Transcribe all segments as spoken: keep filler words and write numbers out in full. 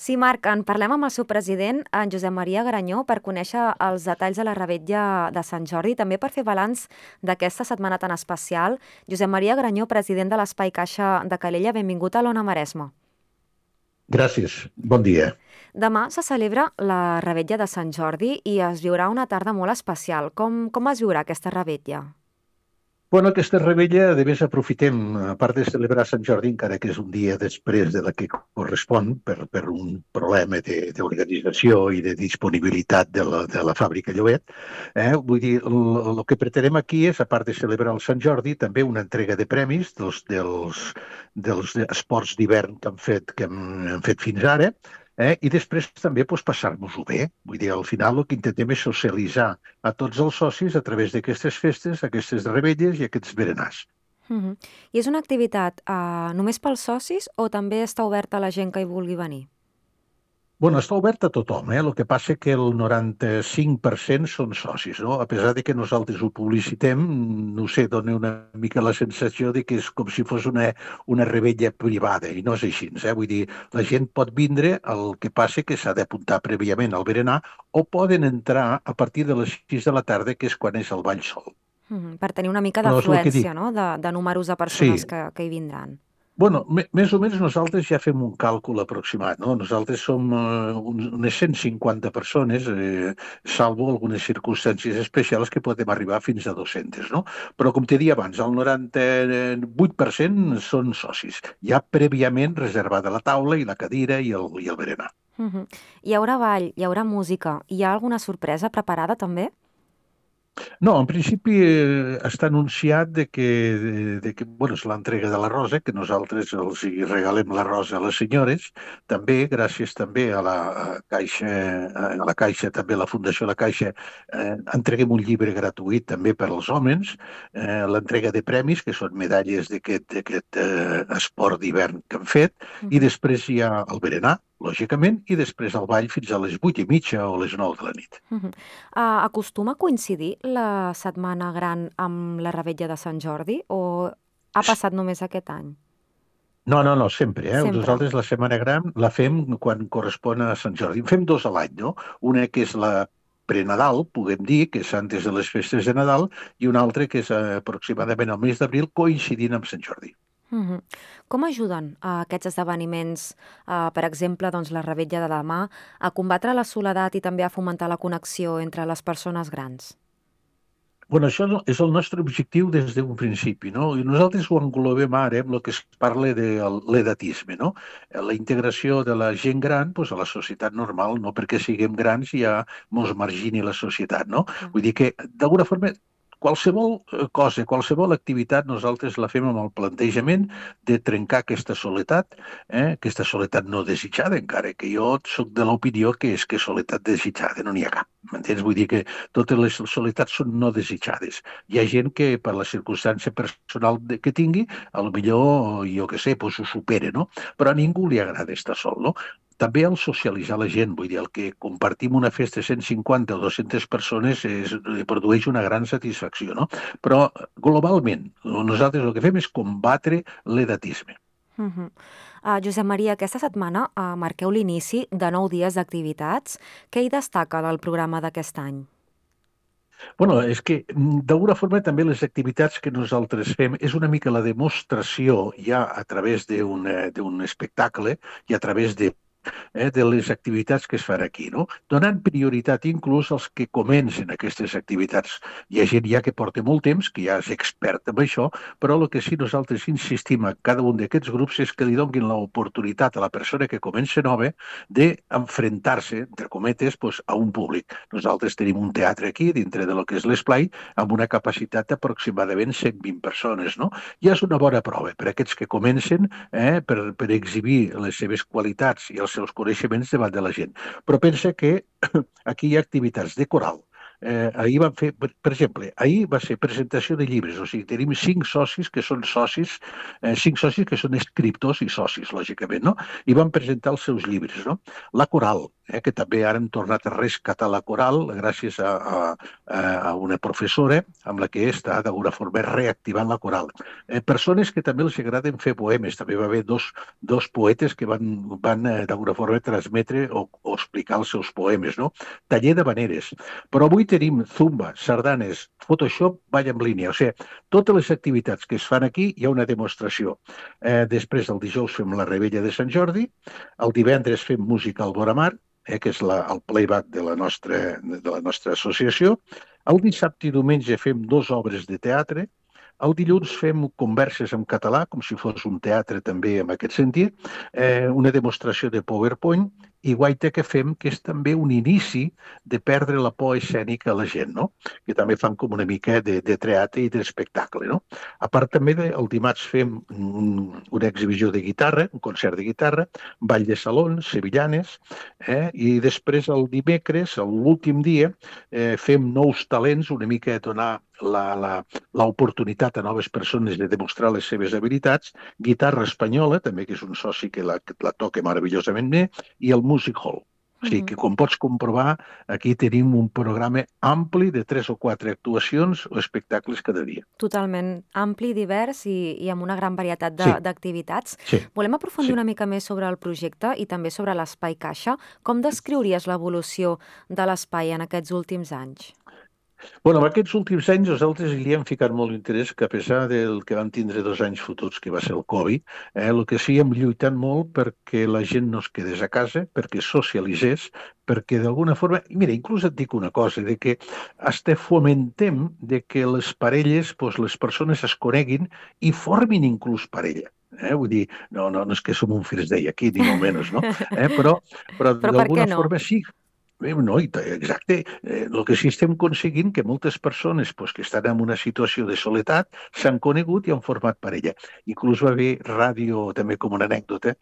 Sí, Marc, en parlem amb el seu president, en Josep Maria Granyó, per conèixer els detalls de la revetlla de Sant Jordi, també per fer balanç d'aquesta setmana tan especial. Josep Maria Granyó, president de l'Espai Caixa de Calella, benvingut a l'Ona Maresma. Gràcies, bon dia. Demà se celebra la revetlla de Sant Jordi i es viurà una tarda molt especial. Com, com es viurà aquesta revetlla? Bueno, aquesta revetlla, de més aprofitem, a part de celebrar Sant Jordi, encara que és un dia després de la que correspon, per, per un problema de- d'organització i de disponibilitat de la, de la fàbrica Llobet, eh? Vull dir, el, el que pretenem aquí és, a part de celebrar el Sant Jordi, també una entrega de premis dels, dels, dels esports d'hivern que hem fet, que hem, hem fet fins ara, eh? I després també doncs, passar-nos-ho bé. Vull dir, al final el que intentem és socialitzar a tots els socis a través d'aquestes festes, aquestes rebelles i aquests berenars. Mhm. I és una activitat eh, només pels socis o també està oberta a la gent que hi vulgui venir? Bueno, està obert a tothom, eh? El que passa que el noranta-cinc per cent són socis, no? A pesar de que nosaltres ho publicitem, no sé, dona una mica la sensació de que és com si fos una, una rebella privada, i no és així, eh? Vull dir, la gent pot vindre, el que passa que s'ha d'apuntar prèviament al berenar, o poden entrar a partir de les sis de la tarda, que és quan és el ball sol. Mhm. Per tenir una mica Però és el que d'afluència, dic, no?, de, de números de sí. persones que, que hi vindran. Bueno, me- més o menys nosaltres ja fem un càlcul aproximat, no? Nosaltres som eh, un- unes cent cinquanta persones, eh, salvo algunes circumstàncies especials que podem arribar fins a dos-centes, no? Però com t'he dit abans, el noranta-vuit per cent són socis, ja prèviament reservada la taula i la cadira i el, i el berenar. Mhm. Hi haurà ball, hi haurà música. Hi ha alguna sorpresa preparada també? No, en principi eh, està anunciat de que, de, de que bueno, és l'entrega de la rosa, que nosaltres els hi regalem la rosa a les senyores, també gràcies també a la a Caixa, a la Caixa, també a la Fundació La Caixa, eh, entreguem un llibre gratuït també per als homes, eh, l'entrega de premis, que són medalles d'aquest d'aquest eh, esport d'hivern que han fet, i Mhm. després hi ha el berenar, lògicament, i després el ball fins a les vuit i mitja o les nou de la nit. Mhm. Ah, acostuma a coincidir la Setmana Gran amb la Revetlla de Sant Jordi o ha passat només aquest any? No, no, no, sempre, eh? Sempre. Nosaltres la Setmana Gran la fem quan correspon a Sant Jordi. En fem dos a l'any, no? Una que és la prenadal, puguem dir, que és antes de les festes de Nadal, i una altra que és eh, aproximadament al mes d'abril, coincidint amb Sant Jordi. Mhm. Com ajuden a aquests esdeveniments, eh, per exemple, doncs, la Revetlla de demà, a combatre la soledat i també a fomentar la connexió entre les persones grans? Bueno, això no- és el nostre objectiu des d'un principi, no? I nosaltres ho englobem ara amb el que es parla de l'edatisme, no? Eh, La integració de la gent gran doncs, a la societat normal, no perquè siguem grans ja mos margini la societat, no? Clar. Vull dir que, d'alguna forma, qualsevol eh, cosa, qualsevol activitat, nosaltres la fem amb el plantejament de trencar aquesta soledat, eh? Aquesta soledat no desitjada, encara que jo sóc de l'opinió que és que soledat desitjada no n'hi ha cap. M'entens? Vull dir que totes les soletats són no desitjades. Hi ha gent que per la circumstància personal de- que tingui, a lo millor, jo què sé, doncs ho supera, no? Però a ningú li agrada estar sol, no? També el socialitzar la gent, vull dir, el que compartim una festa de cent cinquanta o dues-centes persones és, eh, produeix una gran satisfacció, no? Però globalment, nosaltres el que fem és combatre l'edatisme. Mhm. Ah, Josep Maria, aquesta setmana uh, marqueu l'inici de nou dies d'activitats. Què hi destaca del programa d'aquest any? Bueno, és que mm, d'alguna forma també les activitats que nosaltres fem és una mica la demostració ja a través d'un eh, d'un espectacle i a través de eh, de les activitats que es fan aquí, no? Donant prioritat inclús als que comencen aquestes activitats. Hi ha gent ja que porta molt temps, que ja és expert en això, però el que sí nosaltres insistim a cada un d'aquests grups és que li donin l'oportunitat a la persona que comença nova d'enfrontar-se, entre cometes, pues, a un públic. Nosaltres tenim un teatre aquí, dintre de lo que és l'esplai, amb una capacitat d'aproximadament cent vint persones, no? Ja és una bona prova per a aquests que comencen eh, per, per exhibir les seves qualitats i els seus coneixements davant de la gent. Però pensa que aquí hi ha activitats de coral, Eh, ahir van fer, per, per exemple, ahir va ser presentació de llibres, o sigui, tenim cinc socis que són socis, eh, cinc socis que són escriptors i socis, lògicament, no? I van presentar els seus llibres, no? La Coral, eh, que també ara hem tornat a rescatar la Coral gràcies a, a, a una professora amb la que està d'alguna forma reactivant la Coral. Eh, persones que també els agraden fer poemes, també va haver dos, dos poetes que van, van eh, d'alguna forma transmetre o, o explicar els seus poemes, no? Taller de maneres. Però avui tenim Zumba, sardanes, Photoshop, ball en línia. O sigui, totes les activitats que es fan aquí hi ha una demostració. Eh, després, el dijous fem la Rebella de Sant Jordi, el divendres fem música al Boramar, eh, que és la, el playback de la, nostra, de la nostra associació. El dissabte i diumenge fem dues obres de teatre. El dilluns fem converses en català, com si fos un teatre també en aquest sentit, eh, una demostració de PowerPoint i guaita que fem, que és també un inici de perdre la por escènica a la gent, no? Que també fan com una mica de, de teatre i d'espectacle, no? A part també de, el dimarts fem un, una exhibició de guitarra, un concert de guitarra, ball de salons, sevillanes, eh? I després el dimecres, l'últim dia, eh, fem nous talents, una mica donar la, la, l'oportunitat a noves persones de demostrar les seves habilitats, guitarra espanyola, també que és un soci que la, que la toca meravellosament bé, i el Music Hall. O sigui que, com pots comprovar, aquí tenim un programa ampli de tres o quatre actuacions o espectacles cada dia. Totalment ampli, divers i, i amb una gran varietat Sí, d'activitats. sí, Volem aprofundir sí. una mica més sobre el projecte i també sobre l'Espai Caixa. Com descriuries l'evolució de l'espai en aquests últims anys? Bueno, en aquests últims anys nosaltres hi hem ficat molt interès que a pesar del que vam tindre dos anys fotuts, que va ser el Covid, eh, el que sí hem lluitat molt perquè la gent no es quedés a casa, perquè socialitzés, perquè d'alguna forma, i mira, inclús et dic una cosa, de que hasta fomentem de que les parelles, doncs les persones es coneguin i formin inclús parella. Eh? Vull dir, no, no, no és que som un First Day aquí, ni molt menys, no? Eh? Però, però Però per què d'alguna no? forma sí. Bé, no, i ta- exacte. Eh, el que sí estem aconseguint que moltes persones pues, que estan en una situació de soledat s'han conegut i han format parella. Inclús va haver ràdio, també com una anècdota,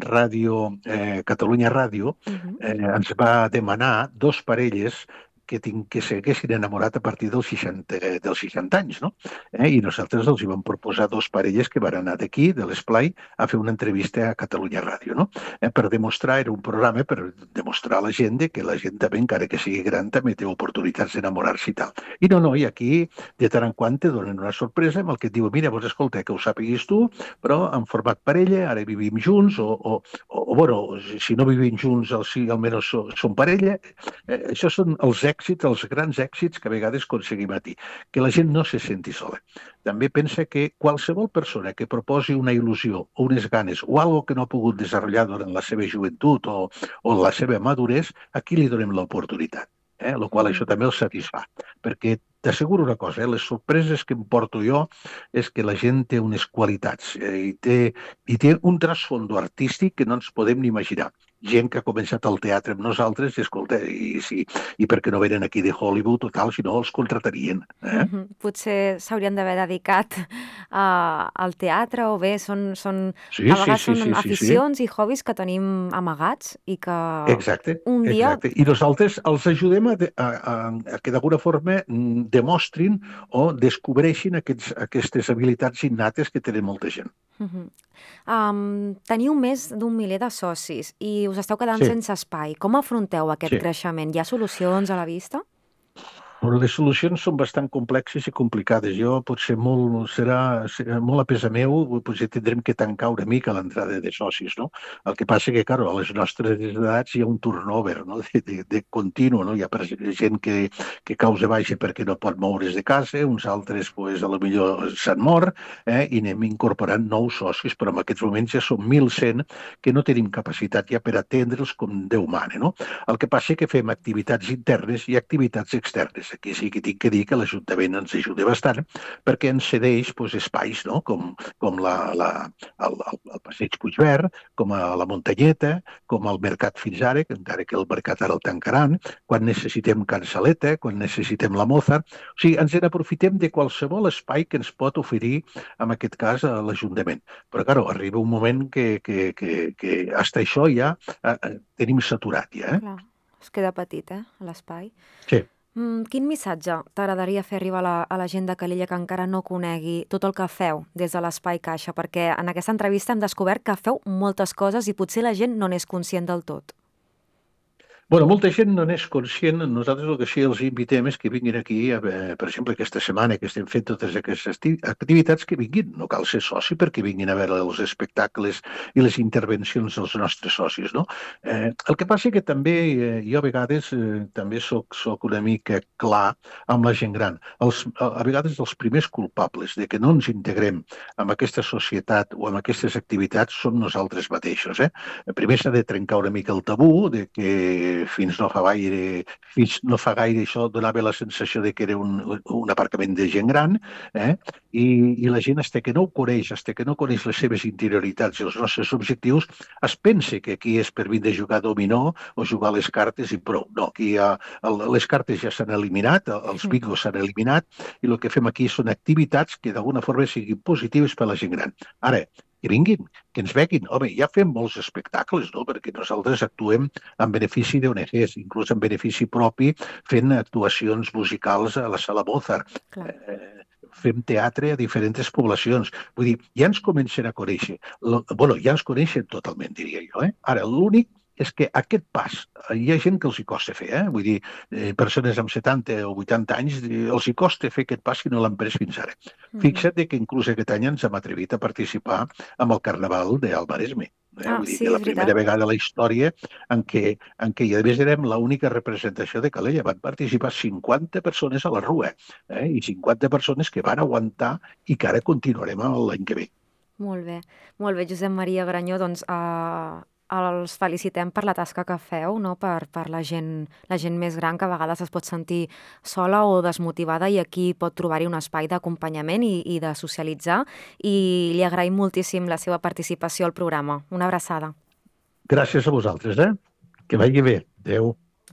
ràdio, eh, Catalunya Ràdio, Mhm. eh, ens va demanar dos parelles que, tinc, que s'haguessin enamorat a partir dels seixanta, eh, dels seixanta anys, no? Eh? I nosaltres els hi vam proposar dos parelles que van anar d'aquí, de l'Esplai, a fer una entrevista a Catalunya Ràdio, no? Eh? Per demostrar, era un programa per demostrar a la gent que la gent també, encara que sigui gran, també té oportunitats d'enamorar-se i tal. I no, no, i aquí de tant en quant te donen una sorpresa amb el que et diu, mira, doncs escolta, que ho sàpiguis tu, però han format parella, ara vivim junts, o, o, o, o bueno, si no vivim junts, al sí, almenys so- som parella. Eh, això són els èxits, els grans èxits que a vegades aconseguim a dir, que la gent no se senti sola. També pensa que qualsevol persona que proposi una il·lusió o unes ganes o algo que no ha pogut desenvolupar durant la seva joventut o, o la seva maduresa, aquí li donem l'oportunitat. Eh? El qual això Mhm. també els satisfà. Perquè t'asseguro una cosa, eh? Les sorpreses que em porto jo és que la gent té unes qualitats eh? I, té, i té un trasfondo artístic que no ens podem ni imaginar. Gent que ha començat al teatre amb nosaltres i escolta, i, si, i per què no venen aquí de Hollywood o tal, si no els contratarien. Eh? Mhm. Potser s'haurien d'haver dedicat a, al teatre o bé són, són, Sí, a sí, vegades sí, són sí, sí, sí. aficions i hobbies que tenim amagats i que Exacte, un dia... exacte. I nosaltres els ajudem a, de- a, a, a que d'alguna forma mm, demostrin o descobreixin aquests, aquestes habilitats innates que tenen molta gent. Mhm. Am, teniu més d'un miler de socis i us esteu quedant Sí, sense espai. Com afronteu aquest sí. creixement? Hi ha solucions a la vista? Però les solucions són bastant complexes i complicades. Jo potser molt, serà, serà molt a pesa meu, potser tindrem que tancar una mica l'entrada de socis, no? El que passa que, claro, a les nostres edats hi ha un turnover, no? De, de, de continu, no? Hi ha per- gent que, que causa baixa perquè no pot moure's de casa, uns altres, pues, a lo millor s'han mort, eh? I anem incorporant nous socis, però en aquests moments ja som mil cent que no tenim capacitat ja per atendre'ls com Déu mana, no? El que passa és que fem activitats internes i activitats externes. Aquí sí que tinc que dir que l'Ajuntament ens ajuda bastant perquè ens cedeix doncs, espais, no? com, com la, la, el, el, el Passeig Puigverd, com a la Muntanyeta, com al Mercat fins ara, que encara que el mercat ara el tancaran, quan necessitem Cansaleta, quan necessitem la Mozart. O sigui, ens n'aprofitem de qualsevol espai que ens pot oferir, en aquest cas, a l'Ajuntament. Però, clar, arriba un moment que, que, que, que hasta això ja eh, tenim saturat, ja. Eh? Clar, es queda petit, eh, l'espai. Sí. Mm, quin missatge t'agradaria fer arribar a la, a la gent de Calella que encara no conegui tot el que feu des de l'Espai Caixa? Perquè en aquesta entrevista hem descobert que feu moltes coses i potser la gent no n'és conscient del tot. Bueno, molta gent no n'és conscient. Nosaltres el que sí els invitem és que vinguin aquí, a, veure, per exemple, aquesta setmana que estem fent totes aquestes acti- activitats, que vinguin. No cal ser soci perquè vinguin a veure els espectacles i les intervencions dels nostres socis, no? Eh, el que passa que també eh, jo a vegades eh, també soc, soc una mica clar amb la gent gran. Els, a, a vegades els primers culpables de que no ens integrem en aquesta societat o en aquestes activitats som nosaltres mateixos, eh? Primer s'ha de trencar una mica el tabú de que fins no fa gaire, fins no fa gaire això donava la sensació de que era un, un aparcament de gent gran, eh? I, i la gent, hasta que no ho coneix, hasta que no coneix les seves interioritats i els nostres objectius, es pensa que aquí és per vindre a jugar a dominó o jugar a les cartes i prou. No, aquí hi ha, el, les cartes ja s'han eliminat, els Mm. bingos s'han eliminat, i el que fem aquí són activitats que d'alguna forma siguin positives per a la gent gran. Ara, que vinguin, que ens veguin. Home, ja fem molts espectacles, no? Perquè nosaltres actuem en benefici d'O N Ges, inclús en benefici propi, fent actuacions musicals a la Sala Mozart. Clar. Eh, fem teatre a diferents poblacions. Vull dir, ja ens comencen a conèixer. Lo, bueno, ja ens coneixen totalment, diria jo. Eh? Ara, l'únic és que aquest pas, eh, hi ha gent que els hi costa fer, eh? Vull dir, eh, persones amb setanta o vuitanta anys, eh, els hi costa fer aquest pas si no l'han pres fins ara. Mhm. Fixa't que inclús aquest any ens hem atrevit a participar amb el Carnaval del Maresme. Eh? Ah, Vull dir sí, que és la primera veritat. vegada a la història en què, en què ja a més érem l'única representació de Calella. Van participar cinquanta persones a la Rua, eh? I cinquanta persones que van aguantar i que ara continuarem l'any que ve. Molt bé. Molt bé, Josep Maria Granyó, doncs eh, els felicitem per la tasca que feu, no? per, per la, gent, la gent més gran que a vegades es pot sentir sola o desmotivada i aquí pot trobar-hi un espai d'acompanyament i, i de socialitzar i li agraïm moltíssim la seva participació al programa. Una abraçada. Gràcies a vosaltres, eh? Que vagi bé. Adéu.